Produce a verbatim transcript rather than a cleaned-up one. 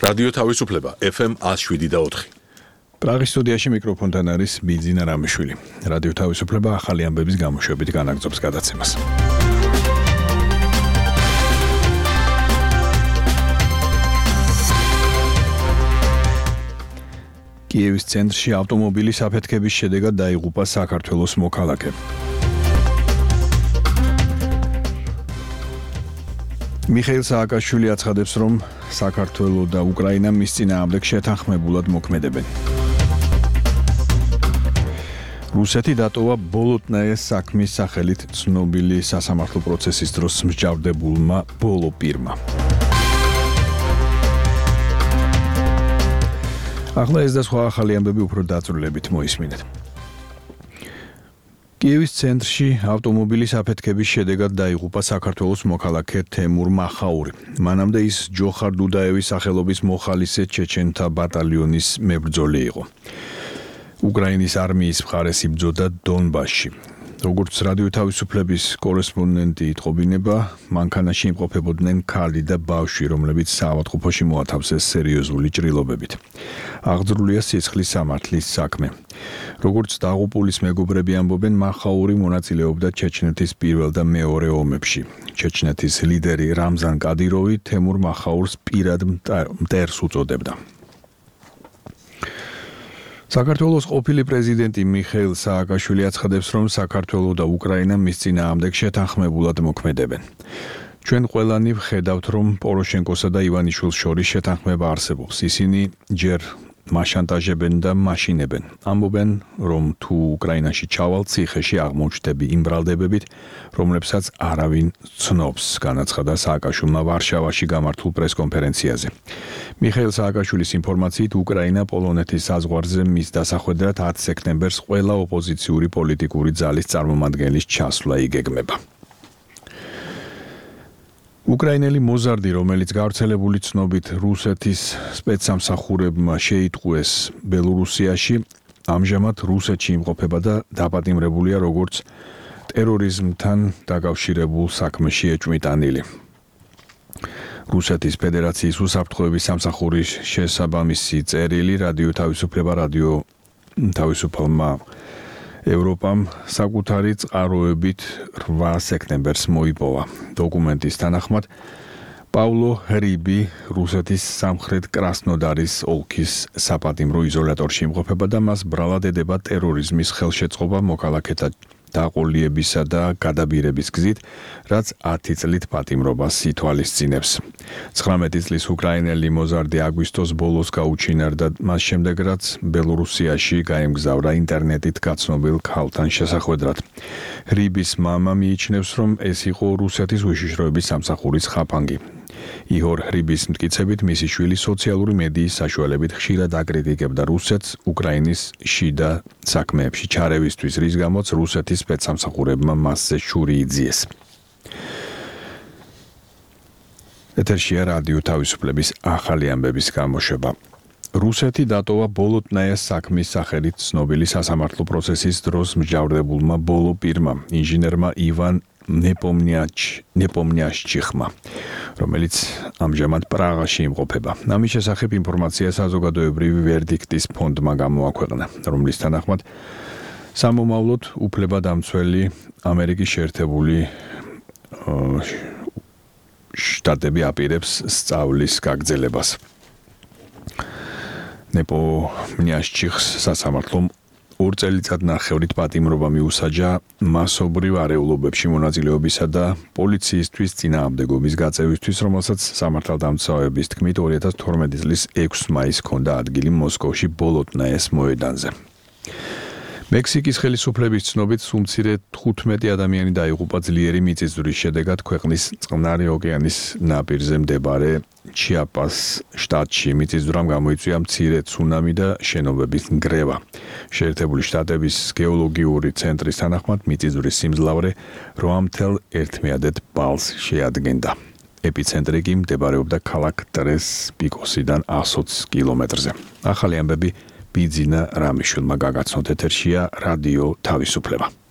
რადიო თავისუფლება ეფ ემ one oh seven და four. პრაღის სტუდიაში მიკროფონთან არის ბიძინა რამიშვილი. რადიო თავისუფლება ახალი ამბების გამოშვებით განაგრძობს გადაცემას. კიევის ცენტრში ავტომობილის აფეთქების შედეგად დაიღუპა საქართველოს მოქალაქე. მიხეილ სააკაშვილი აცხადებს, რომ საქართველო და უკრაინა მის წინააღმდეგ შეთანხმებულად მოქმედებენ. რუსეთი დატოვა ბოლოტნაეს საქმის სახელით ცნობილი სასამართლო პროცესის დროს მსჯავრდებულმა ბოლო პირმა. ახლა ეს და სხვა ახალი ამბები უფრო დაწვრილებით მოისმინეთ. კიევის ცენტრში ავტომობილის აფეთქების შედეგად დაიღუპა საქართველოს მოქალაქე თემურ მახაური. მანამდე ის ჯოხარ დუდაევის სახელობის მოხალისე ჩეჩენთა ბატალიონის მებრძოლი იყო. უკრაინის არმიის მხარეს იბრძოდა დონბასში. როგორც რადიო თავისუფლების კორესპონდენტი იტყობინება, მანქანაში იმყოფებოდნენ ქალი და ბავშვი, რომლებიც საავადმყოფოში მოათავსეს სერიოზული ჭრილობებით. აღძრულია სიცხლის სამართლის საქმე. როგორც დაღუპულის მეგობრები ამბობენ, მახაური მონაწილეობდა ჩეჩნეთის პირველ და მეორე ომებში. ჩეჩნეთის ლიდერი რამზან კადიროვი თემურ მახაურს პირად მტერს უწოდებდა. საქართველოს ყოფილი პრეზიდენტი მიხეილ სააკაშვილი აცხადებს, რომ საქართველო და უკრაინა მის წინააღმდეგ შეთანხმებულად მოქმედებენ. ჩვენ ყველანი ვხედავთ, რომ პოროშენკოსა და ივანიშვილს შორის შეთანხმება არსებობს. ისინი ჯერ მაშანტაჟებენ და მაშინებენ. ამბობენ, რომ თუ უკრაინაში ჩავალ, ციხეში აღმოჩნდები იმ ბრალდებებით, რომლებსაც არავინ ცნობს, განაცხადა სააკაშვილმა ვარშავაში გამართულ პრესკონფერენციაზე. მიხეილ სააკაშვილის ინფორმაციით, უკრაინა პოლონეთის საზღვარზე მის დასახვედრად ათი სექტემბერს ყველა ოპოზიციური პოლიტიკური ძალის წარმომადგენლის ჩასვლა იგეგმება. უკრაინელი მოზარდი, რომელიც გავრცელებული ცნობით რუსეთის სპეცსამსახურებმა შეიტყუეს ბელორუსიაში, ამჟამად რუსეთში იმყოფება და დაპატიმრებულია როგორც ტერორიზმთან დაკავშირებულ საქმეში ეჭვმიტანილი. რუსეთის ფედერაციის უსაფრთხოების სამსახურის შესაბამისი წერილი რადიო თავისუფლება რადიო თავისუფალმა ევროპამ საკუთარი წყაროებით რვა სექტემბერს მოიპოვა. დოკუმენტის თანახმად პავლო ჰრიბი რუსეთის სამხრეთ კრასნოდარის ოლქის საპატიმრო იზოლატორში იმყოფება და მას ბრალად ედება ტერორიზმის ხელშეწყობა მოქალაქეთა დაყოლიებისა და გადაბირების გზით, რაც ათი წლით პატიმრობას ითვალისწინებს. ცხრამეტი წლის უკრაინელი მოზარდი აგვისტოს ბოლოს გაუჩინარდა მას შემდეგ, რაც ბელორუსიაში გაემგზავრა ინტერნეტით გაცნობილ ქალთან შესახვედრად. ჰრიბის მამა მიიჩნევს, რომ ეს იყო რუსეთის უშიშროების სამსახურის ხაფანგი. იჰორ ჰრიბის მტკიცებით, მისი შვილი სოციალური მედიის საშუალებით ხშირად აკრიტიკებდა რუსეთს უკრაინის შიდა საქმეებში ჩარევისთვის, რის გამოც რუსეთის სპეცსამსახურებმა მასზე შური იძიეს. ეთერშია რადიო თავისუფლების ახალი ამბების გამოშვება. რუსეთი დატოვა ბოლოტნაეს საქმის სახელით ცნობილი სასამართლო პროცესის დროს მსჯავრდებულმა ბოლო პირმა, ინჟინერმა ივან ნეპომნიაშჩიხმა, რომელიც ამჟამად პრაღაში იმყოფება. ამის შესახებ ინფორმაცია საზოგადოებრივი ვერდიქტის ფონდმა გამოაქვეყნა, რომლის თანახმად სამომავლოდ უფლებადამცველი ამერიკის შეერთებული შტატები აპირებს სწავლის გაგრძელებას. ნეპომნიაშჩიხს სასამართლომ ორ წელიწადნახევრით პატიმრობა მიუსაჯა მასობრივ არეულობებში მონაწილეობისა და პოლიციისთვის წინააღმდეგობის გაწევისთვის, რომელსაც სამართალდამცავების თქმით ორი ათას თორმეტი წლის ექვსი მაისს ჰქონდა ადგილი მოსკოვში ბოლოტნაეს მოედანზე. მექსიკის ხელისუფლების ცნობით სულ მცირე თხუთმეტი ადამიანი დაიღუპა ძლიერი მიწისძვრის შედეგად ქვეყნის წყნარი ოკეანის ნაპირზე მდებარე ჩიაპას შტატში. მიწისძვრამ გამოიწვია მცირე ცუნამი და შენობების ნგრევა. შეერთებული შტატების გეოლოგიური ცენტრის თანახმად მიწისძვრის სიმძლავრე რვა ერთმეადეთ ბალს შეადგენდა. ეპიცენტრი კი მდებარეობდა ქალაქ ტრეს პიკოსიდან ათი კილომეტრზე. ახალი ამბები ბიძინა რამიშვილმა გაგაცნოთ. ეთერშია რადიო თავისუფლება.